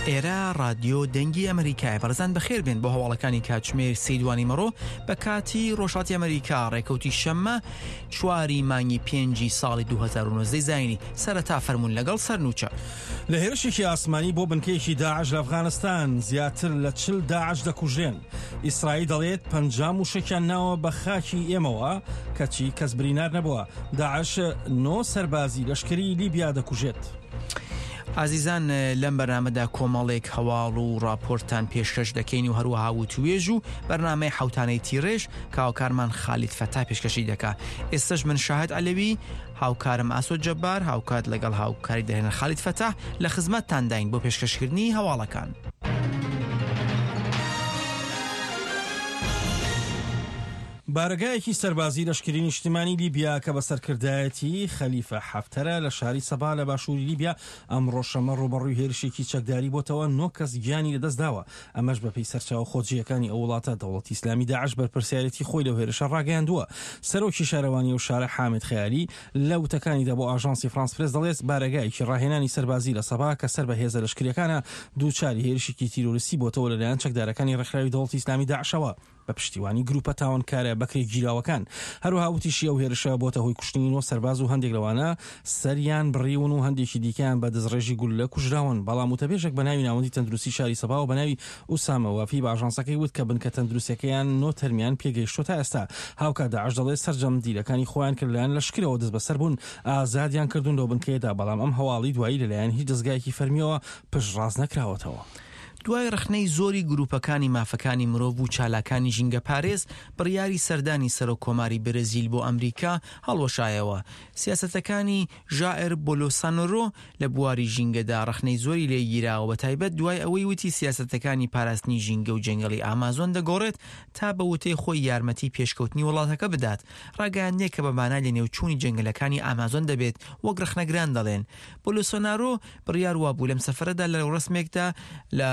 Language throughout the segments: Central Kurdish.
ئێرە ڕادیۆ دەنگی ئەمریکایە بەڕێزان بەخێر بێن بۆ هەواڵەکانی کاتژمێر سەی دوانی مەڕۆ بە کاتی ڕۆژهەڵاتی ئەمریکا ڕێکەوتی شەممە چواری مانگی پێنجی ساڵی 2019 زینی سەرەتا فەرمونون لەگەڵ سەرنوچە. لە هێرشێکی ئاسمانی بۆ بنکەیەکی داعش لە ئەفغانستان زیاتر لە چل داعش دەکوژرێن. ئیسرائیل دەڵێت 50 موشەکیان ناوە بە خاکی ئێمەوە کەچی کەس برینار نەبووە. داعش نۆ سەربازی لەشکری لیبیا دەکوژێت. ئازیزان لەم بەرنامەدا کۆمەڵێک هەواڵ و ڕاپۆرتتان پێشکەش دەکەین و هەروەها وتوێژ و بەرنامەی حوتانەی تیڕێژ کاوکارمان خالید فەتا پێشکەشی دەکا ئێستش من شاهد عەلەوی هاوکارم ئاسۆ جەبار هاوکات لەگەڵ هاوکاری دەهێنەر خالید فەتاح لە خزمەتتانداین بۆ پێشکەشکردنی هەواڵەکان. بارەگایەکی سەربازی لەشکری نیشتیمانی لیبیا کە بە سەرکردایەتی خەلیفە حەفتەرە لە شاری سەبا لە باشووری لیبیا ئەمڕۆ شەممە ڕووبەڕووی هێرشێکی چەکداری بۆتەوە، نۆ کەس گیانی لەدەستداوە، ئەمەش بەپێی سەرچاوە خۆجێیەکانی ئەو وڵاتە، دەوڵەتی ئیسلامی داعش بەرپرسیارێتی خۆی لەو هێرشە ڕاگەیاندووە. سەرۆکی شارەوانی ئەو شارە حامد خەیالی لە وتەکانیدا بۆ ئاژانسی فرانس پرێس دەڵێت، بارەگایەکی ڕاهێنانی سەربازی لە سەبا کە سەر بە هێزە لەشکرییەکانە دووچاری هێرشێکی تیرۆریستی بۆتەوە لەلایەن چەکدارەکانی ڕێکخراوی دەوڵەتی ئیسلامی داعشەوە. بە پشتیوانی گروپە تاوانکارە بەکرێگیراوەکان. هەروەها وتیشی ئەو هێرشە بۆتە هۆی کوشتنی نۆ سەرباز و هەندێک لەوانە سەریان بڕیون و هەندێکی دیکەیان بە دەستڕێژی گوللە کوژراون. بەڵام وتەبێژێک بە ناوی ناوەندی تەندروستی شاری سەباوە بە ناوی ئوسامە وافی بە ئاژانسەکەی وت کە بنکە تەندروستیەکەیان نۆ تەرمیان پێگەیشتووە تا ئێستا. هاوکات داعش دەڵێت سەرجەم دیلەکانی خۆیان کە لەلایەن لەشکرەوە دەستبەسەر بوون ئازادیان کردوون لەو بنکەیەدا، بەڵام ئەم هەواڵی دوایی لەلایەن هیچ دەزگایەکی فەرمیەوە پشتڕاست نەکراوەتەوە. دوای ڕەخنەی زۆری گروپەکانی مافەکانی مرۆڤ و چالاکانی ژینگەپارێز، بڕیاری سەردانی سەرۆک کۆماری برزیل بۆ ئەمریکا هەڵوەشایەوە. سیاسەتەکانی ژائر بۆلۆسانۆرۆ لە بواری ژینگەدا ڕەخنەی زۆری لێ گیراوە بەتایبەت دوای ئەوەی وتی سیاسەتەکانی پاراستنی ژینگە و جەنگەڵی ئامازۆن دەگۆڕێت تا بە وتەی خۆی یارمەتی پێشکەوتنی وڵاتەکە بدات. ڕاگەیاندنێک کە بە مانای لەنێوچوونی جەنگەلەکانی ئامازۆن دەبێت وەک ڕەخنەگران دەڵێن. بۆلۆسۆنارۆ بڕیار وابوو لەم سەفەرەدا لە ڕێوڕەسمێکدا لە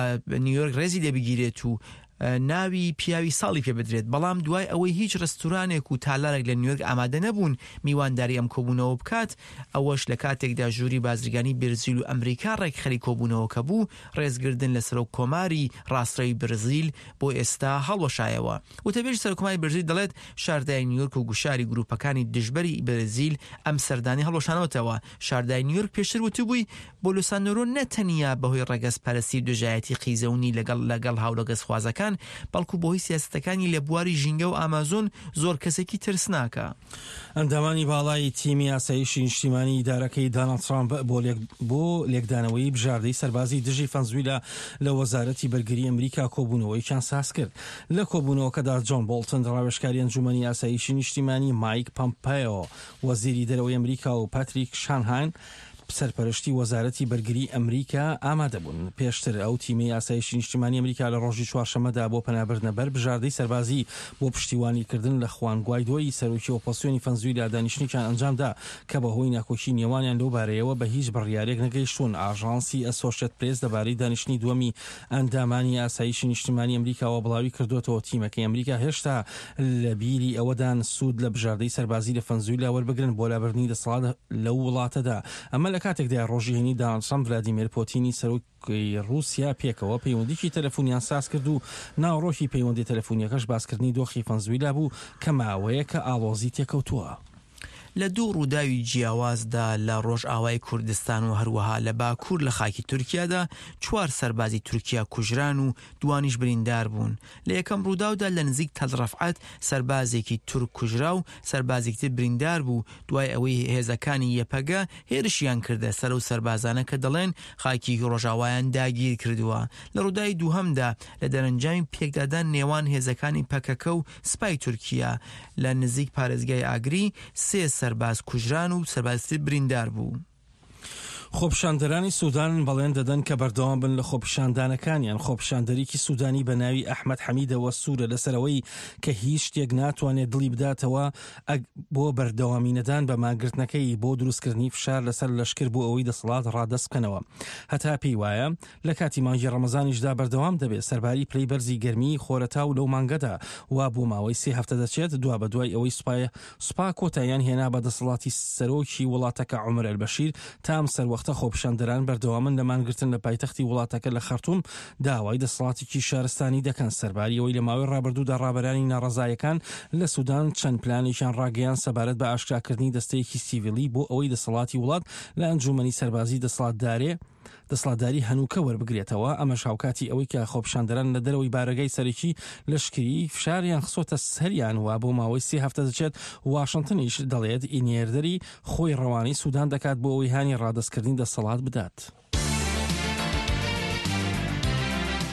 نیویۆرک ڕێزی لێ بگیرێت و ناوی پیاوی ساڵی پێ بدرێت، بەڵام دوای ئەوەی هیچ ڕێستورانێک و تالارێک لە نیویۆرک ئامادە نەبوون میوانداری ئەم کۆبوونەوە بکات، ئەوەش لە کاتێکدا ژووری بازرگانی برزیل و ئەمریکا ڕێکخەری کۆبوونەوەکە بوو، ڕێزگردن لە سەرۆک کۆماری ڕاستڕەوی برزیل بۆ ئێستا هەڵوەشایەوە. وتەبێژی سەرۆککۆماری برزیل دەڵێت، شاردای نیویۆرک و گوشاری گرووپەکانی دژبەری برزیل ئەم سەردانەی هەڵوەشانەوەتەوە، شاردای نیویۆرک پێشتر وتبووی، بۆلۆسانۆرۆ نە تەنیا بەهۆی ڕەگەزپەرستی و دژایەتی قیزەونی لەگەڵ لەگەڵ هاوڕەگەزخوازەکان، بەڵکو بەهۆی سیاسەتەکانی لە بواری ژینگە و ئامازۆن زۆر کەسێکی ترسناکە. ئەندامانی باڵای تیمی ئاسایشی نیشتیمانی ئیدارەکەی داناڵد ترامپ بۆ بۆ لێکدانەوەی بژاردەی سەربازی دژی فەنزویلا لە وەزارەتی بەرگری ئەمریکا کۆبوونەوەیەکیان سازکرد. لە کۆبوونەوەکەدا جۆن بۆڵتن ڕاوێژکاری ئەنجومەنی ئاسایشی نیشتیمانی، مایک پەمپەیۆ وەزیری دەرەوەی ئەمریکا و پاتریک شانهان سەرپەرشتی وەزارەتی بەرگری ئەمریکا ئامادەبوون. پێشتر ئەو تیمەی ئاسایشی نیشتیمانی ئەمریکا لە ڕۆژی چوارشەممەدا بۆ پەنابردنە بەر بژاردەی سەربازی بۆ پشتیوانیکردن لە خوان گوایدۆی سەرۆکی ئۆپۆزسیۆنی فەنزویلا دانیشتنێکیان ئەنجامدا کە بەهۆی ناکۆکی نێوانیان لەو بارەیەوە بە هیچ بڕیارێک نەگەیشتوون. ئاژانسی ئەسۆشێت پرێس لەبارەی دانیشتنی دووەمی ئەندامانی ئاسایشی نیشتیمانی ئەمریکاوە بڵاویکردووەتەوە، تیمەکەی ئەمریکا هێشتا لە بیری ئەوەدان سوود لە بژاردەی سەربازی لە فەنزویلا وەربگرن بۆ لابردنی دەسەڵات لەو وڵاتەدا. ئەمە لە کاتێکدایە ڕۆژی هەینی داناڵد ترەمپ ڤلادیمێر پۆتینی سەرۆکی ڕووسیا پێکەوە پەیوەندیی تەلەفونیان سازکرد و ناوەڕۆکی پەیوەندیە تەلەفونیەکەش باسکردنی دۆخی فەنزویلا بوو کە ماوەیەکە ئاڵۆزی تێکەوتووە. لە دوو ڕووداوی جیاوازدا لە ڕۆژئاوای کوردستان و هەروەها لە باکوور لە خاکی تورکیادا چوار سەربازی تورکیا کوژران و دوانیش بریندار بوون. لە یەکەم ڕووداودا لە نزیک تەل ڕەفعەت سەربازێکی تورک کوژرا و سەربازێکی تر بریندار بوو دوای ئەوەی هێزەکانی یەپەگە هێرشیان کردە سەر ئەو سەربازانە کە دەڵێن خاکی ڕۆژاوایان داگیر کردووە. لە ڕووداوی دووهەمدا لە دەرەنجامی پێکدادان نێوان هێزەکانی پەکەکە و سپای تورکیا لە نزیک پارێزگای ئاگری سێ سەرباز کوژران و سەربازی تر بریندار بوو. خۆپیشاندەرانی سودان بەڵێن دەدەن کە بەردەوام بن لە خۆپیشاندانەکانیان، خۆپیشاندەرێکی سودانی بە ناوی ئەحمەد حەمیدەوە سوورە لەسەر ئەوەی کە هیچ شتێک ناتوانێت دڵی بداتەوە بۆ بەردەوامی نەدان بە مانگرتنەکەی بۆ دروستکردنی فشار لەسەر لەشکر بۆ ئەوەی دەسەڵات ڕادەست بکەنەوە هەتا پێی وایە لە کاتی مانگی ڕەمەزانیشدا بەردەوام دەبێت سەرباری پلەی بەرزی گەرمی خۆرەتاو لەو مانگەدا وا بۆ ماوەی سێ هەفتە دەچێت دوابەدوای ئەوەی سوپای سوپا کۆتاییان هێنا بە دەسەڵاتی سەرۆکی وڵاتەکە عومەر ئەلبەشیر تا ئەم سەروەختە. سەروەختە خۆپیشاندەران بەردەوامن لە مانگرتن لە پایتەختی وڵاتەکە لە خەرتوم داوای دەسەڵاتێکی شارستانی دەکەن، سەرباری ئەوەی لە ماوەی ڕابردوودا ڕابەرانی ناڕەزایەکان لە سودان چەند پلانێکیان ڕاگەیاند سەبارەت بە ئاشکراکردنی دەستەیەکی سیڤیلی بۆ ئەوەی دەسەڵاتی وڵات لە ئەنجوومەنی سەربازی دەسەڵاتدارێ دەسەڵاتداری هەنووکە وەربگرێتەوە، ئەمەش هاوکاتی ئەوەی کە خۆپیشاندەران لە دەرەوەی بارەگای سەرەکی لەشکری فشاریان خستۆتە سەریان و بۆ ماوەی سێ هەفتە دەچێت، واشنتنیش دەڵێت نێردەری خۆی ڕەوانەی سودان دەکات بۆ ئەوەی هانی ڕادەستکردنی دەسەڵات بدات.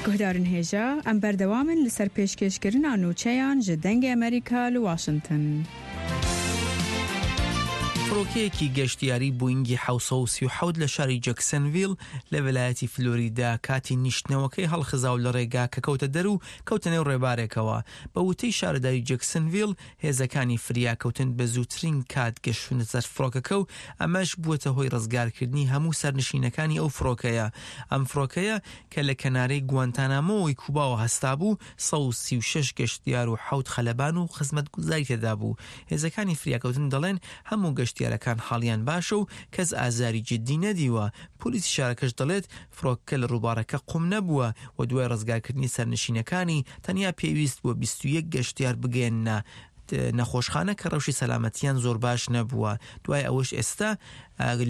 Guhdarên hêja, em berdewam in li ser pêşkêşkirina nûçeyan ji Dengê Amerîka li Washington. فڕۆکەیەکی گەشتیاری بۆینگی 737 لە شاری جەکسنڤیل لە ویلایەتی فلۆریدا کاتی نیشتنەوەکەی هەڵخزا و لە ڕێگا کە کەوتە دەر و کەوتە نێو ڕێبارێکەوە. بە وتەی شارەداری جەکسنڤیل، هێزەکانی فریاکەوتن بە زووترین کات گەشتوونەتە سەر فڕۆکەکە و ئەمەش بووەتە هۆی ڕزگارکردنی هەموو سەرنشینەکانی ئەو فڕۆکەیە. ئەم فڕۆکەیە کە لە کەنارەی گوانتانامۆی کوباوە هەستابوو، 136 گەشتیار و حەوت خەلەبان و خزمەتگوزاری تێدابوو. هێزەکانی فریاکەوتن دەڵێن هەموو گەشتیارەکان حاڵیان باشە و کەس ئازاری جددی نەدیوە. پۆلیسی شارەکەش دەڵێت فڕۆکەکە لە ڕووبارەکە قوم نەبووە و دوای ڕزگارکردنی سەرنشینەکانی تەنیا پێویست بووە 21 گەشتیار بگەیەننە نەخۆشخانە کە ڕەوشی سەلامەتیان زۆر باش نەبووە. دوای ئەوەش ئێستا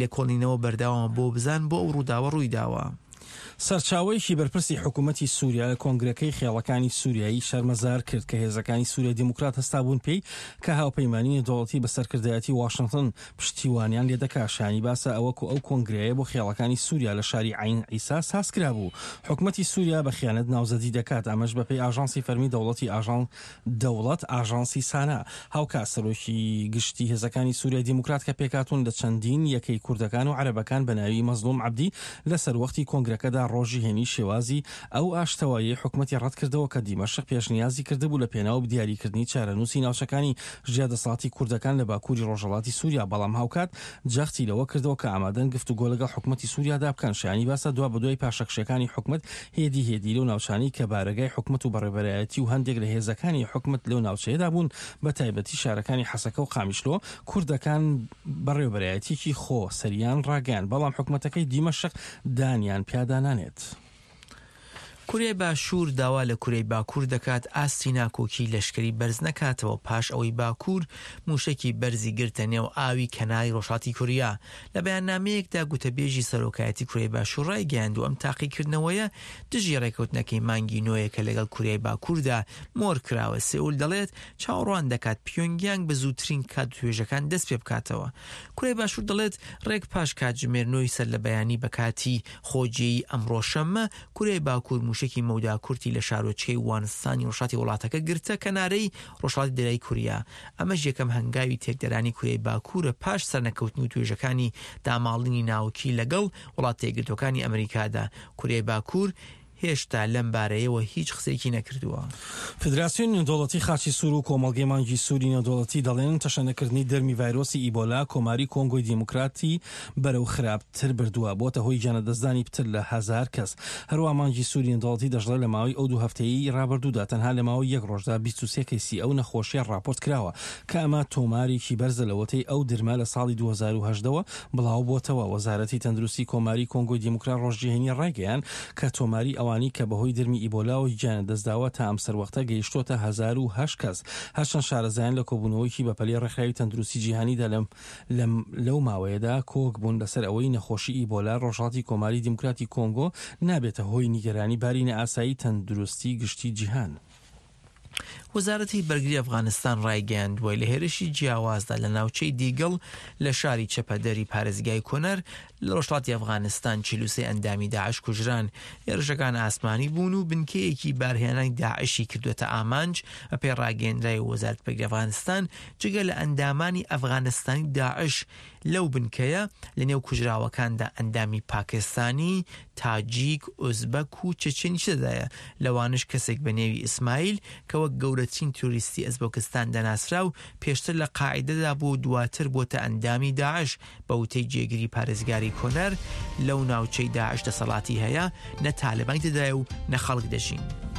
لێکۆڵینەوە بەردەوامە بۆ بزان بۆ ئەو ڕووداوە ڕوویداوە. سەرچاوەیەکی بەرپرسی حکوومەتی سووریا لە کۆنگرەکەی خێڵەکانی سووریایی شەرمەزار کرد کە هێزەکانی سووریای دیموکرات هەستابوون پێی کە هاوپەیمانی نێودەوڵەتی بە سەرکردایەتی واشنتن پشتیوانیان لێدەکا. شایانی باسە ئەوە کو ئەو کۆنگرەیە بۆ خێڵەکانی سووریا لە شاری عەین عیسا سازکرابوو حکومەتی سووریا بە خیانەت ناوزەدی دەکات ئەمەش بەپێی ئاژانسی فەرمی دەوڵەتی ئاژان دەوڵەت ئاژانسی سانا. هاوکات سەرۆکی گشتی هێزەکانی سوریای دیموکرات کە پێکهاتوون لە چەندین یەکەی کوردەکان و عەرەبەکان بە ناوی مەزڵوم عەبدی لە سەروەختی کۆنگرەکەدا ڕۆژی هەینی شێوازی ئەو ئاشتەواییەی حکومەتی ڕەتکردەوە کە دیمەشق پێشنیازی کردبوو لە پێناو دیاریکردنی چارەنووسی ناوچەکانی ژێر دەسەڵاتی کوردەکان لە باکووری ڕۆژهەڵاتی سوریا بەڵام هاوکات جەختی لەوە کردەوە کە ئامادەن گفتوگۆ لەگەڵ حکومەتی سوریادا بکەن. شایانی باسە دوابەدوای پاشەکشێکانی حکومەت هێدی هێدی لەو ناوچانەی کە بارەگای حکومەت و بەڕێوەبەرایەتی و هەندێک لە هێزەکانی حکومەت لەو ناوچەیەدا بوون بە تایبەتی شارەکانی حەسەکە و قامیشلۆ کوردەکان بەڕێوەبەرایەتیەکی خۆ سەریان ڕاگەیاند بەڵام حکومەتەکەی دیمەشق دانیان پیادا نانێت. کوریای باشوور داوا لە کوریای باکوور دەکات ئاستی ناکۆکی لەشکری بەرز نەکاتەوە پاش ئەوەی باکوور مووشەکی بەرزی گرتە نێو ئاوی کەناری ڕۆژهەڵاتی کوریا. لە بەیاننامەیەکدا گوتەبێژی سەرۆکایەتی کوریای باشوور ڕایگەیاندووە ئەم تاقیکردنەوەیە دژی ڕێکەوتنەکەی مانگی نۆیە کە لەگەڵ کوریای باکووردا مۆر کراوە. سێئول دەڵێت چاوەڕوان دەکات پیۆنگیانگ بە زووترین کات وتوێژەکان دەست پێبکاتەوە. کوریای باشوور دەڵێت ڕێک پاش کاتژمێر نۆی سەرلەبەیانی بە کاتی خۆجێیی ئەمڕۆ شەممە، کوریای باکوور مووشەکی مەودا کورتی لە شارۆچکەی وانسانی ڕۆژهەڵاتی وڵاتەکە گرتە کەنارەی ڕۆژهەڵاتی دەریای کوریا، ئەمەش یەکەم هەنگاوی تێکدەرانی کوریای باکوورە پاش سەرنەکەوتنی وتوێژەکانی داماڵینی ناوکی لەگەڵ وڵاتە یەکگرتووەکانی ئەمریکادا. کوریای باکوور هێشتا لەم بارەیەوە هیچ قسەیەکی نەکردووە. فیدراسیۆنی نێودەوڵەتی خاچی سوور و کۆمەڵگەی مانگی سووری نێودەوڵەتی دەڵێن، تەشەنەکردنی درمی ڤایرۆسی ئیبۆلا کۆماری کۆنگۆی دیموکراتی بەرەو خراپتر بردووە، بۆتە هۆی گیانلەدەستدانی پتر لە هەزار کەس. هەروەها مانگی سووری نێودەوڵەتی دەشڵێت، لە ماوەی ئەو دوو هەفتەیەی رابردوودا تەنها لە ماوەی یەک رۆژدا 23 کەیسی ئەو نەخۆشییە راپۆرت کراوە، کە ئەمە تۆمارێکی بەرزە لەوەتەی ئەو درمە لە ساڵی 2018 وە بڵاوبۆتەوە. وەزارەتی تەندروستی کۆماری کۆنگۆی دیموکرات رۆژی هەینی رایگەیاند کە تۆماری ئەوانەی کە بەهۆی درمی ئیبۆلاوە گیانیان لەدەستداوە تا ئەم سەروەختە گەیشتۆتە 1008 کەس، هەرچەند شارەزایان لە کۆبوونەوەیەکی بەپەلەی ڕێکخراوی تەندروستی جیهانیدا لەم لەم لەو ماوەیەدا کۆک بوون لەسەر ئەوەی نەخۆشی ئیبۆلا ڕۆژهەڵاتی کۆماری دیموکراتی کۆنگۆ نابێتە هۆی نیگەرانی باری نائاسایی تەندروستی گشتی جیهان. وەزارەتی بەرگری ئەفغانستان ڕایگەیاندووە، لە هێرشی جیاوازدا لە ناوچەی دیگڵ لە شاری چەپەدەری پارێزگای کۆنەر لە ڕۆژهەڵاتی ئەفغانستان 43 ئەندامی داعش کوژران. هێرشەکان ئاسمانی بوون و بنکەیەکی بارهێنانی داعشی کردووەتە ئامانج، بەپێی ڕاگەیەندراوی وەزارەتی بەرگری ئەفغانستان جگە لە ئەندامانی ئەفغانستانی داعش لەو بنکەیە، لەنێو کوژراوەکاندا ئەندامی پاکستانی، تاجیک، ئۆزبەک و چەچەنیش تێدایە، لەوانەش کەسێک بە نێوی ئیسمایل کە وەک گەورەترین تیرۆریستی ئەزبەکستان دەناسرا و پێشتر لە قاعیدەدا بووە و دواتر بۆتە ئەندامی داعش، بە وتەی جێگری پارێزگاری کۆنەر، لەو ناوچەی داعش دەسەڵاتی هەیە، نە تالبانی تێدایە و نە خەڵک دەژین.